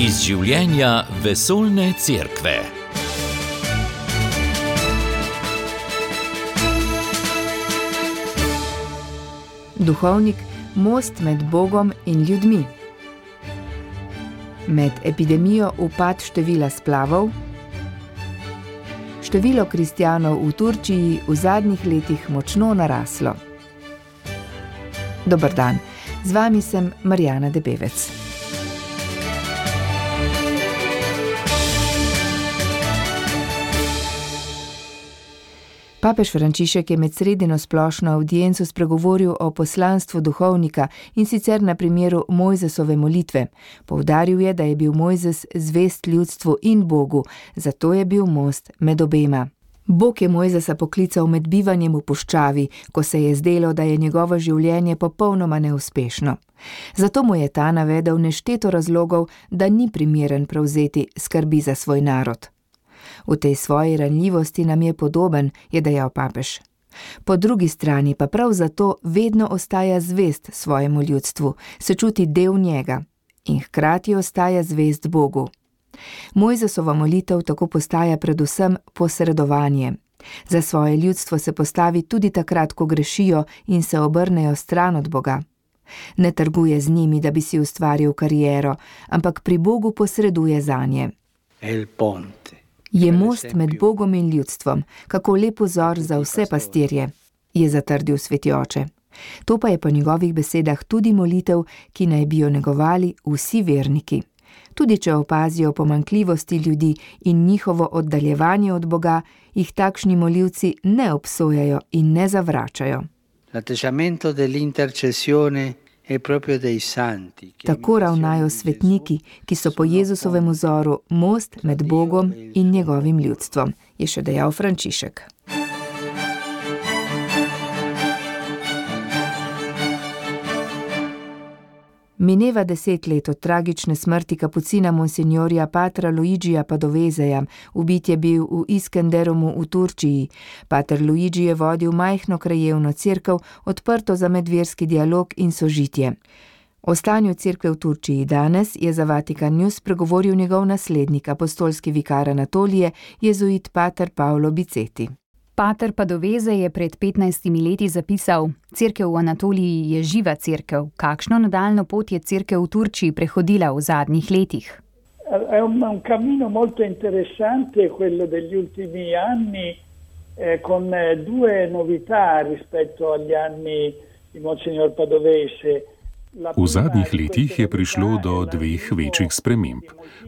Iz življenja vesoljne cerkve. Duhovnik, most med Bogom in ljudmi. Med epidemijo upad števila splavov. Število kristjanov v Turčiji v zadnjih letih močno naraslo. Dober dan, z vami sem Marjana Debevec. Papež Frančišek je med sredino splošno avdienco spregovoril o poslanstvu duhovnika in sicer na primeru Mojzesove molitve. Poudaril je, da je bil Mojzes zvest ljudstvu in Bogu, zato je bil most med obema. Bog je Mojzesa poklical med bivanjem v puščavi, ko se je zdelo, da je njegovo življenje popolnoma neuspešno. Zato mu je ta navedel nešteto razlogov, da ni primeren prevzeti skrbi za svoj narod. V tej svoji ranljivosti nam je podoben, je dejal papež. Po drugi strani pa prav zato vedno ostaja zvest svojemu ljudstvu, se čuti del njega in hkrati ostaja zvest Bogu. Mojzesova molitev tako postaja predvsem posredovanje. Za svoje ljudstvo se postavi tudi takrat, ko grešijo in se obrnejo stran od Boga. Ne trguje z njimi, da bi si ustvaril kariero, ampak pri Bogu posreduje zanje. Je most med Bogom in ljudstvom, kako lep vzor za vse pastirje, je zatrdil sveti oče. To pa je po njegovih besedah tudi molitev, ki naj bi jo negovali vsi verniki. Tudi če opazijo pomanjkljivosti ljudi in njihovo oddaljevanje od Boga, jih takšni molivci ne obsojajo in ne zavračajo. Tako ravnajo svetniki, ki so po Jezusovem vzoru most med Bogom in njegovim ljudstvom, je še dejal Frančišek. Mineva 10 let od tragične smrti kapucina monsignorja patra Luigija Padoveseja. Ubit je bil v Iskenderumu v Turčiji. Pater Luigi je vodil majhno krajevno cerkev, odprto za medverski dialog in sožitje. O stanju cerkve v Turčiji danes je za Vatikan News spregovoril njegov naslednik, apostolski vikar Anatolije, jezuit pater Paolo Biceti. Pater Padovese je pred 15 leti zapisal: cerkev v Anatoliji je živa cerkev. Kakšno nadaljno pot je cerkev v Turčiji prehodila v zadnjih letih? È un cammino molto interessante quello degli ultimi anni, con due novità rispetto agli anni di Monsignor Padovese. V zadnjih letih je prišlo do dveh večjih sprememb.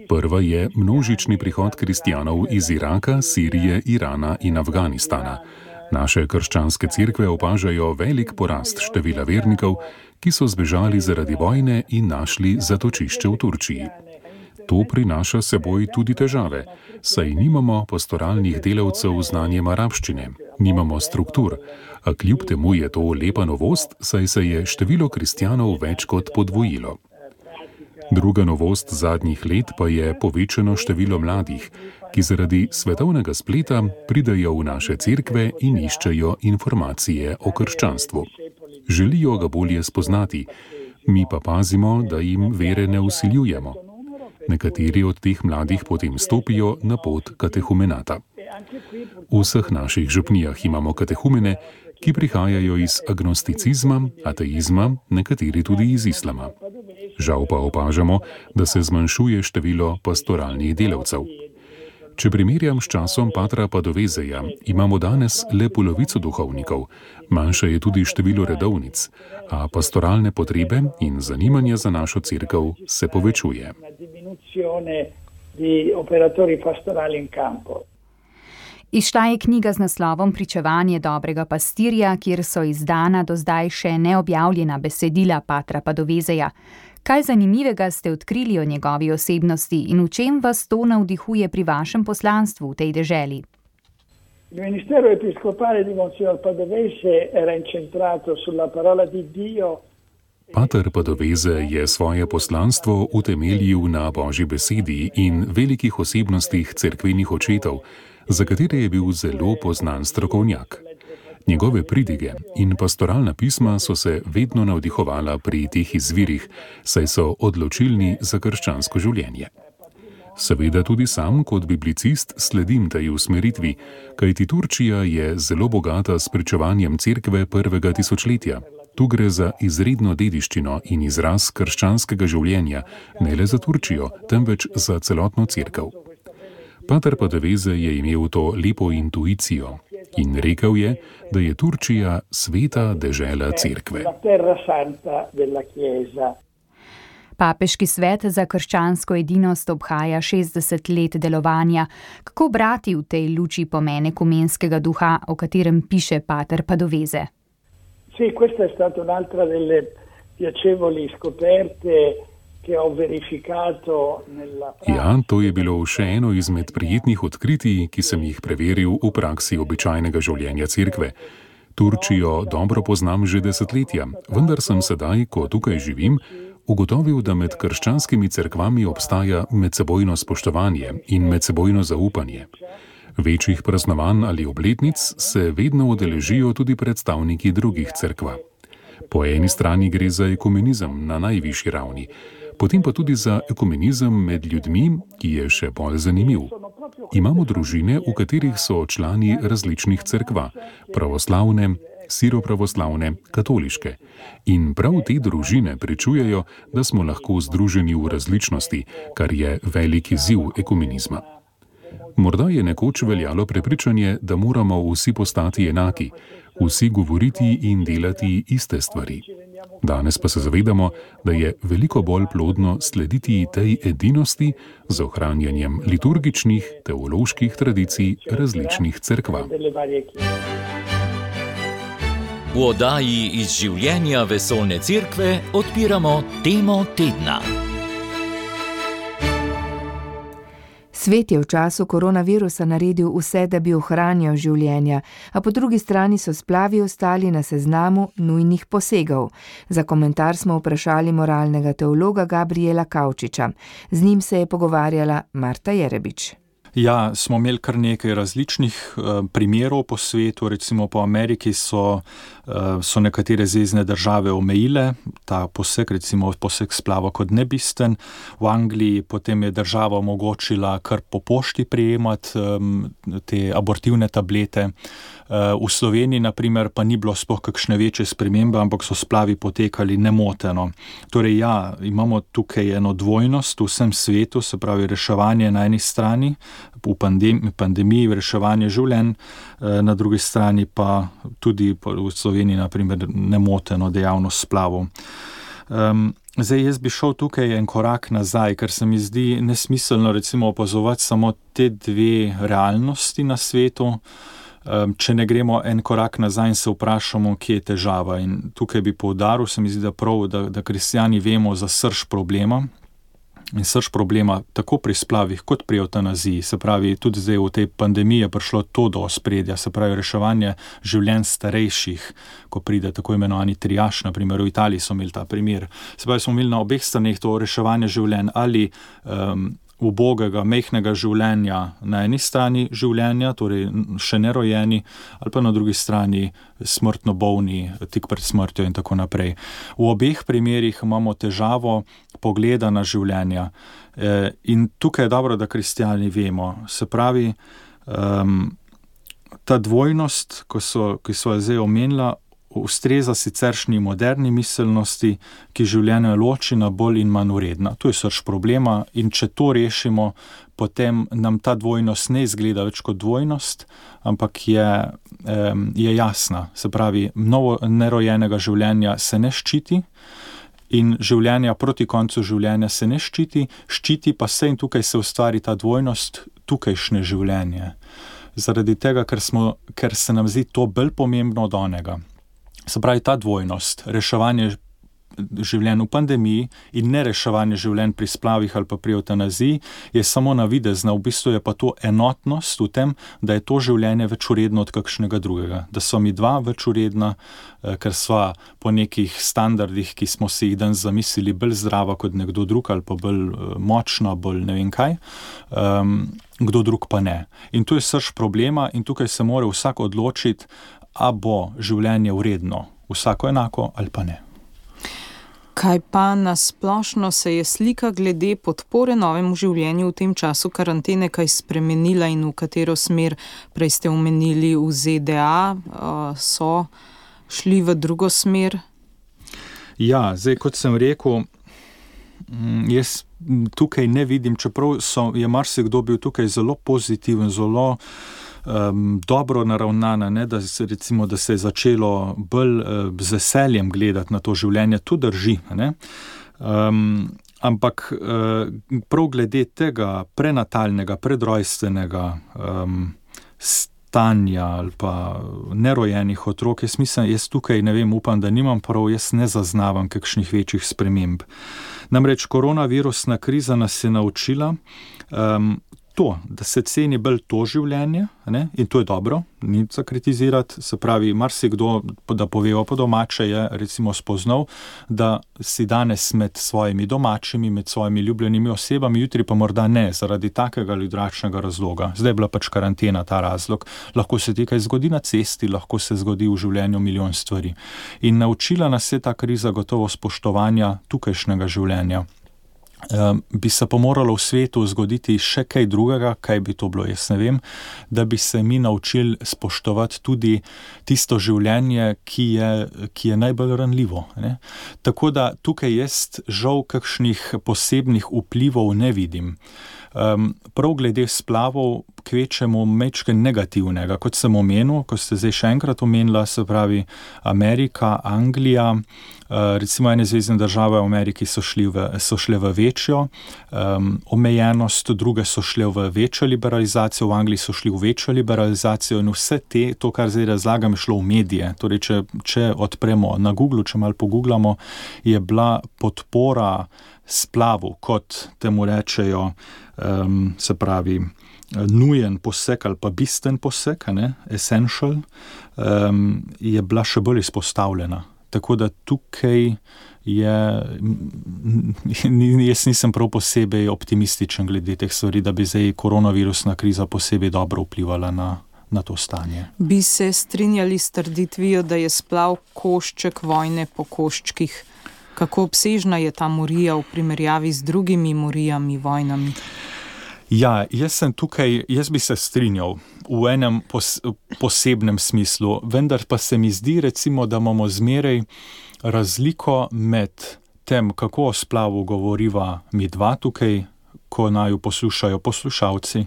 Prva je množični prihod kristjanov iz Iraka, Sirije, Irana in Afganistana. Naše krščanske cerkve opažajo velik porast števila vernikov, ki so zbežali zaradi vojne in našli zatočišče v Turčiji. To prinaša seboj tudi težave, saj nimamo pastoralnih delavcev z znanjem arabščine, nimamo struktur, a kljub temu je to lepa novost, saj se je število kristjanov več kot podvojilo. Druga novost zadnjih let pa je povečano število mladih, ki zaradi svetovnega spleta pridejo v naše cerkve in iščejo informacije o krščanstvu. Želijo ga bolje spoznati, mi pa pazimo, da jim vere ne vsiljujemo. Nekateri od teh mladih potem stopijo na pot katehumenata. V vseh naših župnijah imamo katehumene, ki prihajajo iz agnosticizma, ateizma, nekateri tudi iz islama. Žal pa opažamo, da se zmanjšuje število pastoralnih delavcev. Če primerjam s časom patra Padoveseja, imamo danes le polovico duhovnikov, manjše je tudi število redovnic, a pastoralne potrebe in zanimanje za našo cerkev se povečuje. Izšla je knjiga z naslovom Pričevanje dobrega pastirja, kjer so izdana do zdaj še neobjavljena besedila patra Padoveseja. Kaj zanimivega ste odkrili o njegovi osebnosti in v čem vas to navdihuje pri vašem poslanstvu v tej deželi? Il ministero episcopale di Monsignor Padovese era incentrato sulla parola di Dio. Pater Padovese je svoje poslanstvo utemeljil na Božji besedi in velikih osebnostih cerkvenih očetov, za katere je bil zelo poznan strokovnjak. Njegove pridige in pastoralna pisma so se vedno navdihovala pri teh izvirih, saj so odločilni za krščansko življenje. Seveda tudi sam kot biblicist sledim tej usmeritvi, kajti Turčija je zelo bogata s pričevanjem cerkve prvega tisočletja. Tu gre za izredno dediščino in izraz krščanskega življenja, ne le za Turčijo, temveč za celotno cerkev. Pater Padoveze je imel to lepo intuicijo in rekel je, da je Turčija sveta dežela cerkve. Papeški svet za krščansko edinost obhaja 60 let delovanja. Kako brati v tej luči pomen ekumenskega duha, o katerem piše pater Padoveze? Sì, questa è stata un'altra delle piacevoli scoperte che ho verificato nella pratica. Ja, to je bilo še eno izmed prijetnih odkritij, ki sem jih preveril v praksi običajnega življenja cerkve. Turčijo dobro poznam že desetletja, vendar sem sedaj, ko tukaj živim, ugotovil, da med krščanskimi cerkvami obstaja medsebojno spoštovanje in medsebojno zaupanje. Večjih praznovanj ali obletnic se vedno udeležijo tudi predstavniki drugih cerkva. Po eni strani gre za ekumenizem na najvišji ravni, potem pa tudi za ekumenizem med ljudmi, ki je še bolj zanimiv. Imamo družine, v katerih so člani različnih cerkva, pravoslavne, siropravoslavne, katoliške. In prav te družine pričujejo, da smo lahko združeni v različnosti, kar je velik izziv ekumenizma. Morda je nekoč veljalo prepričanje, da moramo vsi postati enaki, vsi govoriti in delati iste stvari. Danes pa se zavedamo, da je veliko bolj plodno slediti tej edinosti z ohranjanjem liturgičnih, teoloških tradicij različnih cerkva. V oddaji iz življenja vesoljne cerkve odpiramo temo tedna. Svet je v času koronavirusa naredil vse, da bi ohranjal življenja, a po drugi strani so splavi ostali na seznamu nujnih posegov. Za komentar smo vprašali moralnega teologa Gabriela Kavčiča. Z njim se je pogovarjala Marta Jerebič. Ja, smo imeli kar nekaj različnih primerov po svetu, recimo po Ameriki so nekatere zvezne države omejile ta poseg, recimo poseg splava kot nebisten. V Angliji potem je država omogočila kar po pošti prejemati te abortivne tablete. V Sloveniji, na primer, pa ni bilo sploh kakšne večje spremembe, ampak so splavi potekali nemoteno. Torej ja, imamo tukaj eno dvojnost v vsem svetu, se pravi reševanje na eni strani, v pandemiji reševanje življenj, na drugi strani pa tudi v Sloveniji, na primer, nemoteno dejavnost splavov. Zdaj, jaz bi šel tukaj en korak nazaj, ker se mi zdi nesmiselno recimo opazovati samo te dve realnosti na svetu, če ne gremo en korak nazaj in se vprašamo, kje je težava. In tukaj bi poudaril, se mi zdi, da prav, da kristjani vemo za srž problema. In srž problema tako pri splavih kot pri evtanaziji, se pravi, tudi zdaj v tej pandemiji je prišlo to do ospredja, se pravi reševanje življenj starejših, ko pride tako imenovani triaž, na primer v Italiji so imeli ta primer. Se pravi, smo imeli na obeh straneh to reševanje življenj ali ubogega, mehkega življenja na eni strani življenja, torej še nerojeni, ali pa na drugi strani smrtno bolni, tik pred smrtjo in tako naprej. V obeh primerih imamo težavo pogleda na življenja. In tukaj je dobro, da kristjani vemo. Se pravi, ta dvojnost, ki so zdaj omenila, ustreza siceršnji moderni miselnosti, ki življenje loči na bolj in manj vredna. To je srž problema in če to rešimo, potem nam ta dvojnost ne izgleda več kot dvojnost, ampak je jasna. Se pravi, novo nerojenega življenja se ne ščiti in življenja proti koncu življenja se ne ščiti, ščiti pa se in tukaj se ustvari ta dvojnost, tukajšnje življenje. Zaradi tega, ker se nam zdi to bolj pomembno od onega. Se pravi, ta dvojnost, reševanje življenj v pandemiji in ne reševanje življenj pri splavih ali pa pri evtanaziji, je samo navidezna, v bistvu je pa to enotnost v tem, da je to življenje več vredno od kakšnega drugega. Da so mi dva več vredna, ker sva po nekih standardih, ki smo si jih danes zamislili, bolj zdrava kot nekdo drug ali pa bolj močna, bolj ne vem kaj, kdo drug pa ne. In to je srž problema in tukaj se mora vsak odločiti, a bo življenje vredno vsako enako ali pa ne. Kaj pa nasplošno se je slika glede podpore novemu življenju v tem času karantene kaj spremenila in v katero smer, prej ste omenili v ZDA, so šli v drugo smer? Ja, zdaj kot sem rekel, jaz tukaj ne vidim, čeprav je marsikdo bil tukaj zelo pozitiven, zelo dobro naravnana, ne, da se je začelo bolj z veseljem gledati na to življenje, to drži. Ne. Ampak prav glede tega prenatalnega, predrojstvenega stanja ali pa nerojenih otrok, jaz tukaj ne vem, upam, da nimam prav, jaz ne zaznavam kakšnih večjih sprememb. Namreč koronavirusna kriza nas je naučila to, da se ceni bolj to življenje, ne? In to je dobro, ni za kritizirati, se pravi, marsikdo, da povejo po domače, je recimo spoznal, da si danes med svojimi domačimi, med svojimi ljubljenimi osebami, jutri pa morda ne, zaradi takega ali drugačnega razloga. Zdaj je bila pač karantena ta razlog, lahko se ti kaj zgodi na cesti, lahko se zgodi v življenju milijon stvari. In naučila nas je ta kriza gotovo spoštovanja tukajšnjega življenja. Bi se pa moralo v svetu zgoditi še kaj drugega, kaj bi to bilo, jaz ne vem, da bi se mi naučili spoštovati tudi tisto življenje, ki je najbolj ranljivo. Ne? Tako da tukaj jaz žal kakšnih posebnih vplivov ne vidim. Prav glede splavov kvečemo mečke negativnega, kot sem omenil, ko ste zdaj še enkrat omenila, se pravi Amerika, Anglija, recimo ene zvezne države v Ameriki so šle v večjo omejenost, druge so šle v večjo liberalizacijo, v Angliji so šli v večjo liberalizacijo in vse to, kar zdaj razlagam, je šlo v medije. Torej, če odpremo na Google, če malo pogooglamo, je bila podpora splavu, kot temu rečejo, se pravi, nujen poseg ali pa bistven poseg, essential, je bila še bolj izpostavljena. Tako da tukaj jaz nisem prav posebej optimističen glede teh stvari, da bi zdaj koronavirusna kriza posebej dobro vplivala na to stanje. Bi se strinjali s trditvijo, da je splav košček vojne po koščkih? Kako obsežna je ta morija v primerjavi z drugimi morijami, vojnami? Ja, jaz bi se strinjal v enem posebnem smislu, vendar pa se mi zdi, recimo, da imamo zmeraj razliko med tem, kako o splavu govoriva mi dva tukaj, ko naju poslušajo poslušalci,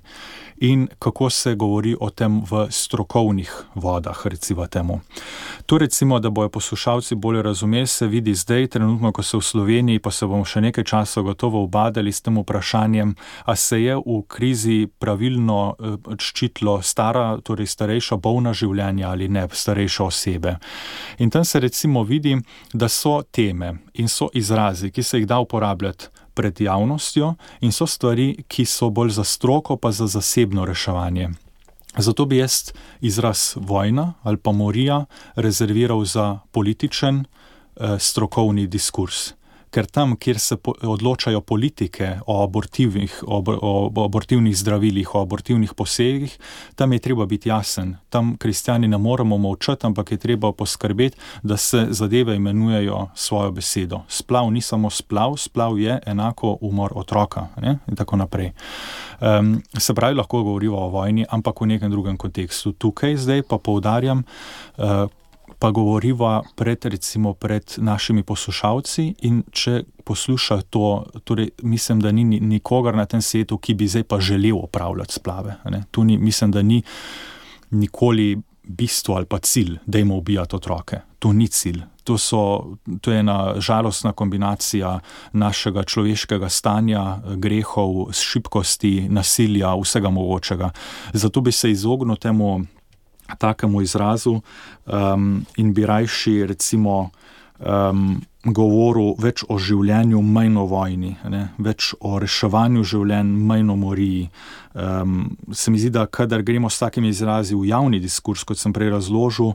in kako se govori o tem v strokovnih vodah, recimo temu. To recimo, da bojo poslušalci bolje razumeli, se vidi zdaj, trenutno, ko se v Sloveniji, pa se bomo še nekaj časa gotovo ubadali s tem vprašanjem, a se je v krizi pravilno ščitilo torej starejša bolna življenja ali ne, starejše osebe. In tam se recimo vidi, da so teme in so izrazi, ki se jih da uporabljati pred javnostjo in so stvari, ki so bolj za stroko pa za zasebno reševanje. Zato bi jaz izraz vojna ali pa morija rezerviral za političen strokovni diskurs. Ker tam, kjer se odločajo politike o abortivnih zdravilih, o abortivnih posegih, tam je treba biti jasen. Tam kristjani ne moremo molčati, ampak je treba poskrbeti, da se zadeve imenujejo svojo besedo. Splav ni samo splav, splav je enako umor otroka, ne? In tako naprej. Se pravi, lahko govorimo o vojni, ampak v nekem drugem kontekstu. Tukaj zdaj pa poudarjam, pa govoriva pred našimi poslušalci in če posluša to, torej mislim, da ni nikogar na tem svetu, ki bi zdaj pa želel opravljati splave. Tu mislim, da ni nikoli bistvo ali pa cilj, dajmo ubijati otroke. To ni cilj. To je ena žalostna kombinacija našega človeškega stanja, grehov, šibkosti, nasilja, vsega mogočega. Zato bi se izognil temu takemu izrazu in bi rajši recimo govoril več o življenju, manj o vojni, več o reševanju življenj, manj o moriji. Se mi zdi, da kadar gremo s takimi izrazi v javni diskurs, kot sem prej razložil,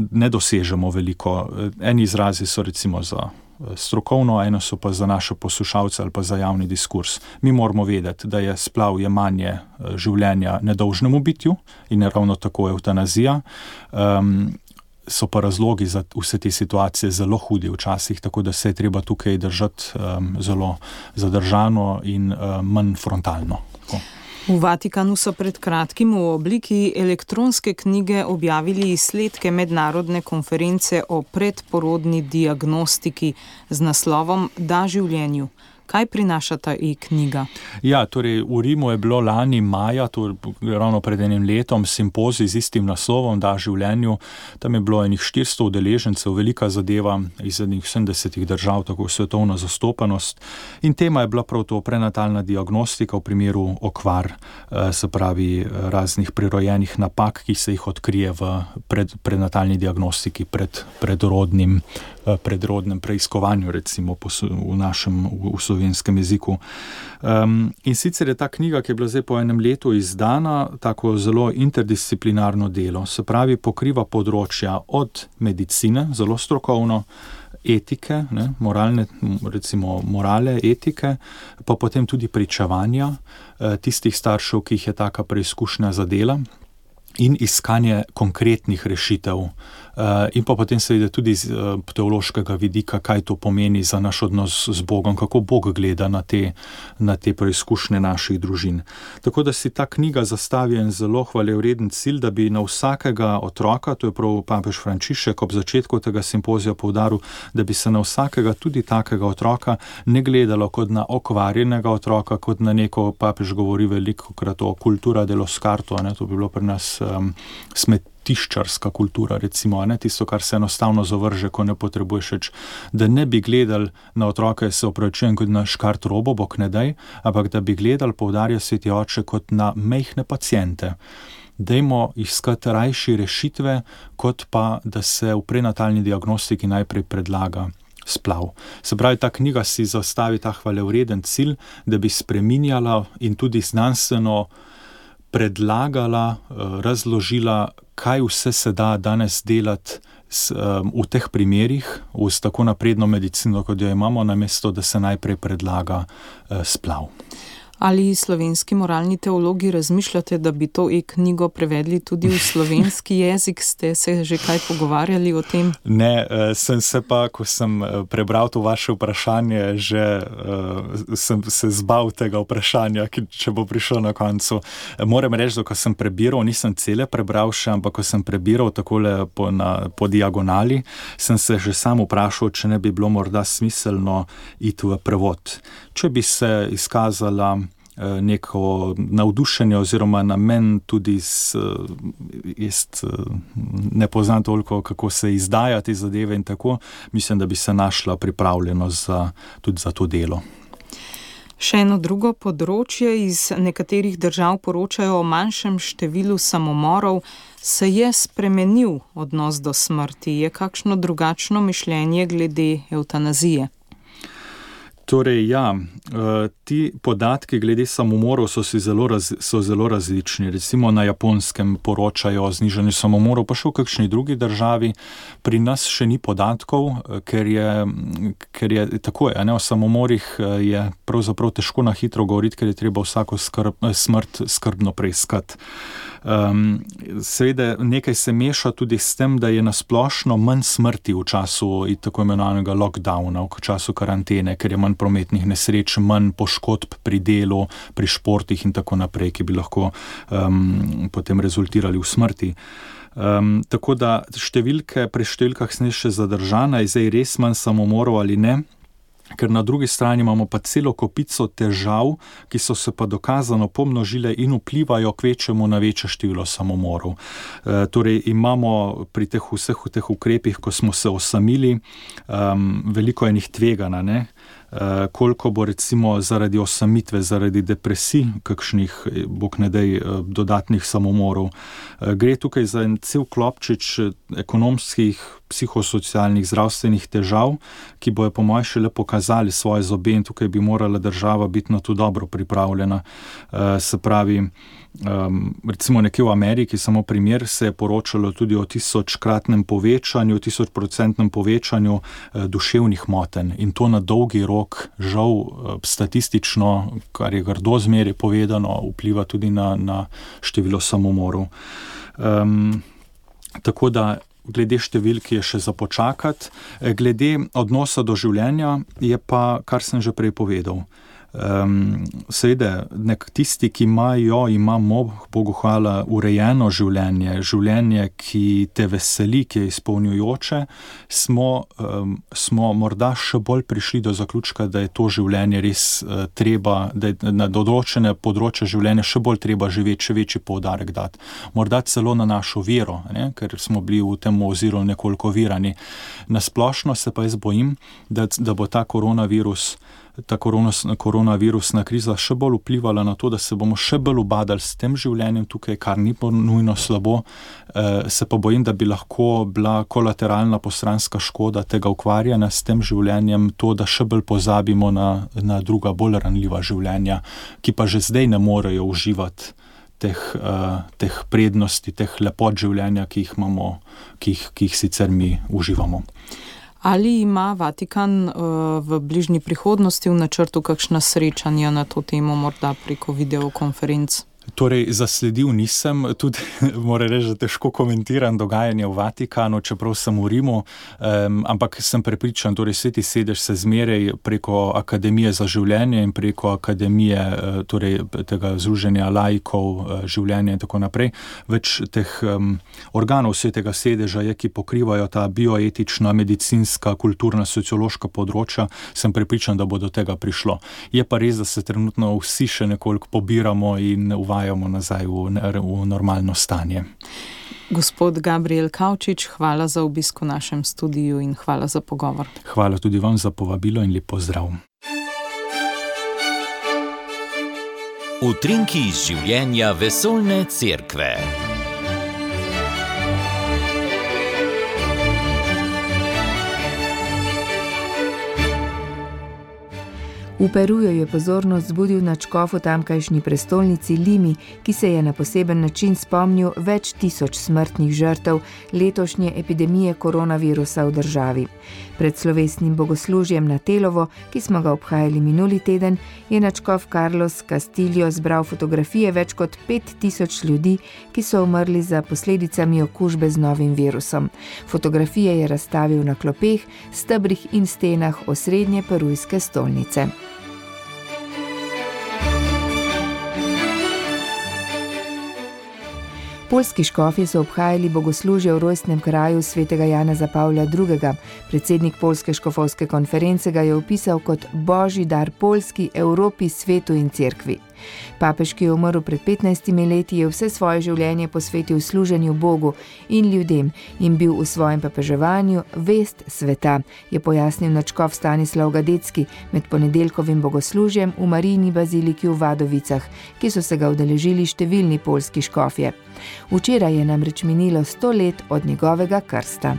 ne dosežemo veliko. Eni izrazi so recimo za strokovno, eno so pa za naše poslušalce ali pa za javni diskurs. Mi moramo vedeti, da je splav jemanje življenja nedolžnemu bitju in je ravno tako eutanazija. so pa razlogi za vse te situacije zelo hudi včasih, tako da se je treba tukaj držati zelo zadržano in manj frontalno. V Vatikanu so pred kratkim v obliki elektronske knjige objavili izsledke mednarodne konference o predporodni diagnostiki z naslovom Da življenju. Kaj prinaša ta e-knjiga? Ja, torej v Rimu je bilo lani maja, ravno pred enim letom, simpozij z istim naslovom Da življenju. Tam je bilo enih 400 udeležencev, velika zadeva iz 70 držav, tako svetovna zastopanost. In tema je bila prav to prenatalna diagnostika v primeru okvar, se pravi raznih prirojenih napak, ki se jih odkrije v prenatalni diagnostiki predrodnem preiskovanju, recimo v slovenskem jeziku. In sicer je ta knjiga, ki je bila zdaj po enem letu izdana, tako zelo interdisciplinarno delo, se pravi pokriva področja od medicine, zelo strokovno, etike, morale, etike, pa potem tudi pričevanja tistih staršev, ki jih je taka preizkušnja zadela, in iskanje konkretnih rešitev. In pa potem seveda tudi iz teološkega vidika, kaj to pomeni za naš odnos z Bogom, kako Bog gleda na te preizkušnje naših družin. Tako da si ta knjiga zastavi en zelo hvalevreden cilj, da bi na vsakega otroka, to je prav papež Frančišek ob začetku tega simpozija poudaril, da bi se na vsakega tudi takega otroka ne gledalo kot na okvarjenega otroka, kot na neko, papež govori velikokrat o cultura dello scarto, to bi bilo pri nas smetiščarska kultura, recimo, tisto, kar se enostavno zavrže, ko ne potrebuješ več, da ne bi gledali na otroke, se opravičujem, kot na škart robo, bog ne daj, ampak da bi gledali, poudarja Sveti oče, kot na majhne paciente. Dajmo iskati rajši rešitve, kot pa, da se v prenatalni diagnostiki najprej predlaga splav. Se pravi, ta knjiga si zastavi ta hvalevreden cilj, da bi spreminjala in tudi znanstveno predlagala, razložila, kaj vse se da danes delati v teh primerih, s tako napredno medicino, kot jo imamo, namesto da se najprej predlaga splav. Ali slovenski moralni teologi razmišljate, da bi to e-knjigo prevedli tudi v slovenski jezik? Ste se že kaj pogovarjali o tem? Ne, sem se pa, ko sem prebral to vaše vprašanje, sem se zbal tega vprašanja, če bo prišlo na koncu. Moram reči, da ko sem prebiral, nisem cele prebral še, ampak ko sem prebiral takole po diagonali, sem se že sam vprašal, če ne bi bilo morda smiselno iti v prevod. Če bi se izkazala neko navdušenje oziroma namen tudi ne poznam toliko, kako se izdaja te zadeve in tako, mislim, da bi se našla pripravljenost tudi za to delo. Še eno drugo področje, iz nekaterih držav poročajo o manjšem številu samomorov. Se je spremenil odnos do smrti? Je kakšno drugačno mišljenje glede evtanazije? Torej, ja, ti podatki glede samomorov so zelo različni. Recimo na Japonskem poročajo o znižanju samomorov, pa še v kakšni drugi državi. Pri nas še ni podatkov, ker je tako, o samomorih je pravzaprav težko na hitro govoriti, ker je treba vsako smrt skrbno preiskati. Seveda nekaj se meša tudi s tem, da je nasplošno manj smrti v času tako imenovanega lockdowna, v času karantene, ker je manj prometnih nesreč, manj poškodb pri delu, pri športih in tako naprej, ki bi lahko potem rezultirali v smrti. Tako da pri številkah sem še zadržana, je zdaj res manj samomorov ali ne, ker na drugi strani imamo pa celo kopico težav, ki so se pa dokazano pomnožile in vplivajo kvečemu na večje število samomorov. Torej imamo pri vseh teh ukrepih, ko smo se osamili, veliko enih tvegana, koliko bo recimo zaradi osamitve, zaradi depresij, kakšnih, bog ne daj, dodatnih samomorov. Gre tukaj za en cel klopčič ekonomskih, psihosocialnih, zdravstvenih težav, ki bojo po mojem šele pokazali svoje zobe in tukaj bi morala država biti na to dobro pripravljena. Se pravi, recimo nekje v Ameriki, samo primer, se je poročalo tudi o 1000-kratnem povečanju, 1000% povečanju duševnih motenj in to na dolgi rok, žal statistično, kar je grdo zmeraj povedano, vpliva tudi na število samomorov. Tako da glede številk je še za počakati. Glede odnosa do življenja je pa, kar sem že prej povedal. Seveda, tisti, ki imamo, Bogu hvala, urejeno življenje, ki te veseli, ki je izpolnjujoče, smo morda še bolj prišli do zaključka, da je to življenje res treba, da je na določene področje življenja še bolj treba živeti, še večji poudarek dati. Morda celo na našo vero, ker smo bili v tem oziru nekoliko virani. Na splošno se pa jaz bojim, da bo ta koronavirusna kriza še bolj vplivala na to, da se bomo še bolj ubadali s tem življenjem tukaj, kar ni nujno slabo. Se pa bojim, da bi lahko bila kolateralna postranska škoda tega ukvarjanja s tem življenjem to, da še bolj pozabimo na druga bolj ranljiva življenja, ki pa že zdaj ne morejo uživati teh prednosti, teh lepot življenja, ki jih imamo, ki jih sicer mi uživamo. Ali ima Vatikan v bližnji prihodnosti v načrtu kakšna srečanja na to temo, morda preko videokonferenc? Torej, zasledil nisem, tudi moram reči, da težko komentiram dogajanje v Vatikanu, čeprav sem v Rimu, ampak sem prepričan, torej Sveti sedež se zmeraj preko Akademije za življenje in preko Akademije, torej tega združenja laikov življenja in tako naprej, več teh organov Svetega sedeža je, ki pokrivajo ta bioetična, medicinska, kulturna, sociološka področja, sem prepričan, da bo do tega prišlo. Je pa res, da se trenutno vsi še nekoliko pobiramo in uvajamo nazaj v normalno stanje. Gospod Gabriel Kavčič, hvala za obisk v našem studiu in hvala za pogovor. Hvala tudi vam za povabilo in lep pozdrav. Utrinki iz življenja vesoljne cerkve. V Peruju je pozornost zbudil nadškof v tamkajšnji prestolnici Limi, ki se je na poseben način spomnil več tisoč smrtnih žrtev letošnje epidemije koronavirusa v državi. Pred slovesnim bogoslužjem na Telovo, ki smo ga obhajali minuli teden, je nadškof Carlos Castillo zbral fotografije več kot 5000 ljudi, ki so umrli za posledicami okužbe z novim virusom. Fotografije je razstavil na klopeh, stebrih in stenah osrednje perujske stolnice. Poljski škofje so obhajali bogoslužje v rojstnem kraju svetega Janeza Pavla II. Predsednik Poljske škofovske konference ga je opisal kot božji dar Poljski, Evropi, svetu in cerkvi. Papež, ki je umrl pred 15 leti, je vse svoje življenje posvetil služenju Bogu in ljudem in bil v svojem papeževanju vest sveta, je pojasnil nadškof Stanislav Gadecki med ponedeljkovim bogoslužjem v Marijini baziliki v Vadovicah, ki so se ga udeležili številni poljski škofje. Včeraj je namreč minilo 100 let od njegovega krsta.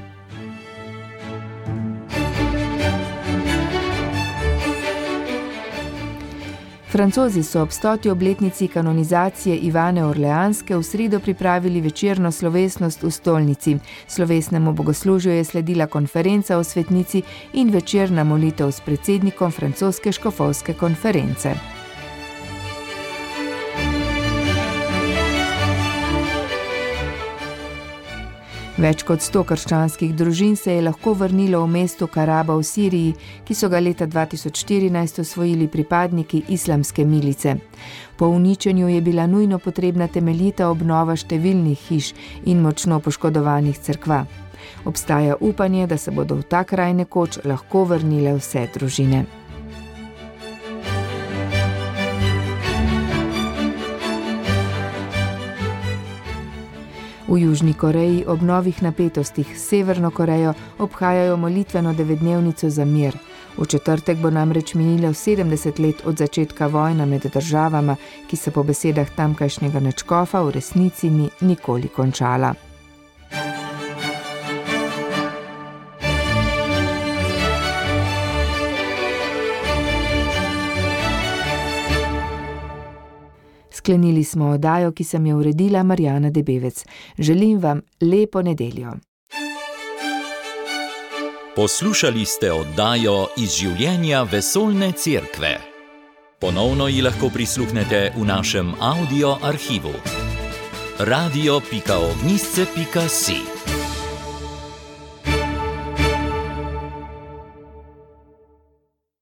Francozi so ob 100. obletnici kanonizacije Ivane Orleanske v sredo pripravili večerno slovesnost v stolnici. Slovesnemu bogoslužju je sledila konferenca o svetnici in večerna molitev s predsednikom francoske škofovske konference. Več kot 100 krščanskih družin se je lahko vrnilo v mesto Karaba v Siriji, ki so ga leta 2014 osvojili pripadniki islamske milice. Po uničenju je bila nujno potrebna temeljita obnova številnih hiš in močno poškodovanih cerkva. Obstaja upanje, da se bodo v ta kraj nekoč lahko vrnile vse družine. V Južni Koreji ob novih napetostih s Severno Korejo obhajajo molitveno 9-dnevnico za mir. V četrtek bo namreč minilo 70 let od začetka vojna med državama, ki se po besedah tamkajšnjega nadškofa v resnici ni nikoli končala. Sklenili smo oddajo, ki sem jo uredila Marjana Debevec. Želim vam lepo nedeljo. Poslušali ste oddajo iz življenja vesoljne cerkve. Ponovno ji lahko prisluhnete v našem audio arhivu. radio.ognisce.si